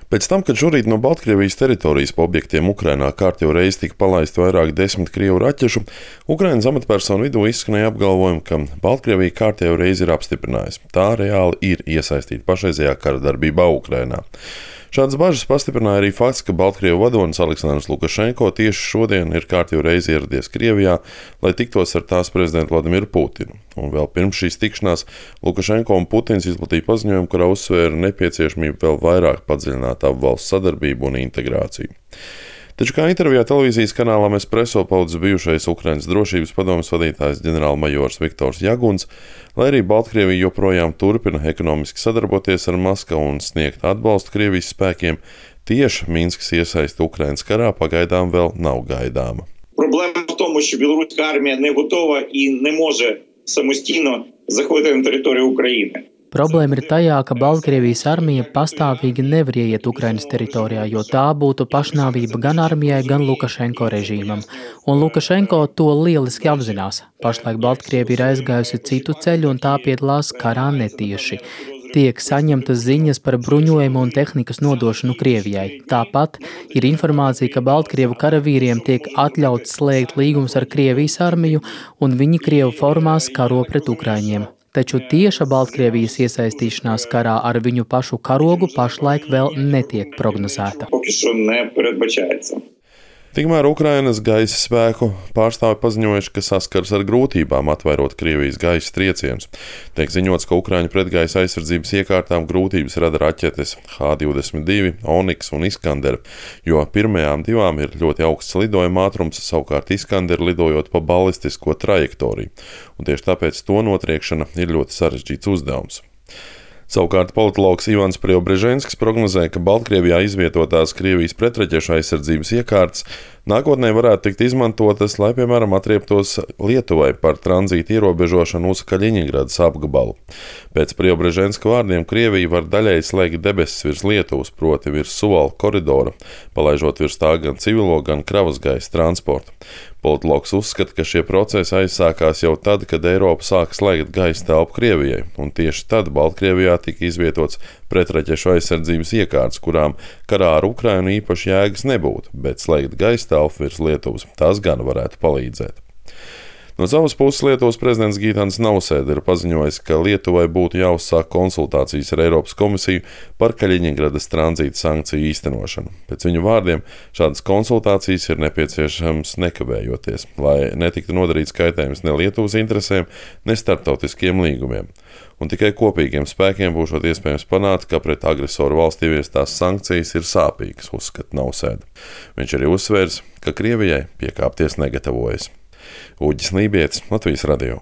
Pēc tam, kad šorīt no Baltkrievijas teritorijas pa objektiem Ukrainā kārtējo reizi tika palaisti vairāk desmit krievu raķešu, Ukrainas amatpersonu vidū izskanēja apgalvojumi, ka Baltkrievija kārtējo reizi ir apstiprinājusi. Tā reāli ir iesaistīta pašreizējā kara darbībā Ukrainā. Šādas bažas pastiprināja arī fakts, ka Baltkrievu vadonis Aleksandrs Lukašenko tieši šodien ir kārtējo reizi ieradies Krievijā, lai tiktos ar tās prezidentu Vladimiru Putinu. Un vēl pirms šīs tikšanās Lukašenko un Putins izplatīja paziņojumu, kurā uzsvēra nepieciešamību vēl vairāk padziļināt abu valstu sadarbību un integrāciju. Taču kā intervijā televīzijas kanālam Espresso paudzes bijušais Ukrainas drošības padomes vadītājs ģenerālmajors Viktors Jaguns, lai arī Baltkrievija joprojām turpina ekonomiski sadarboties ar Maskavu un sniegt atbalstu Krievijas spēkiem, tieši Minskas iesaiste Ukrainas karā pagaidām vēl nav gaidāma. Проблема в тому, що білоруська армія не готова і не може самостійно заходити на територію України. Problēma ir tajā, ka Baltkrievijas armija pastāvīgi nevar ieiet Ukrainas teritorijā, jo tā būtu pašnāvība gan armijai, gan Lukašenko režīmam. Un Lukašenko to lieliski apzinās. Pašlaik Baltkrievija ir aizgājusi citu ceļu un tā piedalās karā netieši. Tiek saņemtas ziņas par bruņojumu un tehnikas nodošanu Krievijai. Tāpat ir informācija, ka Baltkrievu karavīriem tiek atļauts slēgt līgumus ar Krievijas armiju, un viņi Krievu formās karo pret Ukraiņiem. Taču tieša Baltkrievijas iesaistīšanās karā ar viņu pašu karogu pašlaik vēl netiek prognozēta. Поки що не передбачається. Tikmēr Ukrainas gaisa spēku pārstāvi paziņojuši, ka saskars ar grūtībām atvairot Krievijas gaisa triecienus. Tiek ziņots, ka Ukraiņu pretgaisa aizsardzības iekārtām grūtības rada raķetes H-22, Oniks un Iskander, jo pirmajām divām ir ļoti augsts lidojuma ātrums, savukārt Iskander lidojot pa balistisko trajektoriju, un tieši tāpēc to notriekšana ir ļoti sarežģīts uzdevums. Savukārt politologs Ivans Preobreženskis prognozē, ka Baltkrievijā izvietotās Krievijas pretraķešu aizsardzības iekārtas nākotnē varētu tikt izmantotas, lai, piemēram, atrieptos Lietuvai par tranzītu ierobežošanu uz Kaļiņģradas apgabalu. Pēc Preobreženska vārdiem Krievija var daļēji slēgt debesis virs Lietuvas, proti virs Suvalku koridora, palaižot virs tā gan civilo, gan kravas gaisa transportu. Politologs uzskata, ka šie procesi aizsākās jau tad, kad Eiropa sāka slēgt gaisa telpu Krievijai, un tieši tad Baltkrievijā tika izvietots pretraķešu aizsardzības iekārtas, kurām karā ar Ukrainu īpaši jēgas nebūtu, bet slēgt gaisa telpu virs Lietuvas tas gan varētu palīdzēt. No savas puses Lietuvas prezidents Gitanas Nausēda ir paziņojis, ka Lietuvai būtu jāuzsāk konsultācijas ar Eiropas komisiju par Kaļiņģradas tranzīta sankciju īstenošanu. Pēc viņu vārdiem šādas konsultācijas ir nepieciešams nekavējoties, lai netiktu nodarīts kaitējums ne Lietuvas interesēm, ne starptautiskiem līgumiem. Un tikai kopīgiem spēkiem būšot iespējams panākt, ka pret agresoru valsti ieviestās sankcijas ir sāpīgas, uzskata Nausēda. Viņš arī uzsvērs, ka Krievijai piekāpties negatavojas. Uģis Lībietis, Latvijas radio.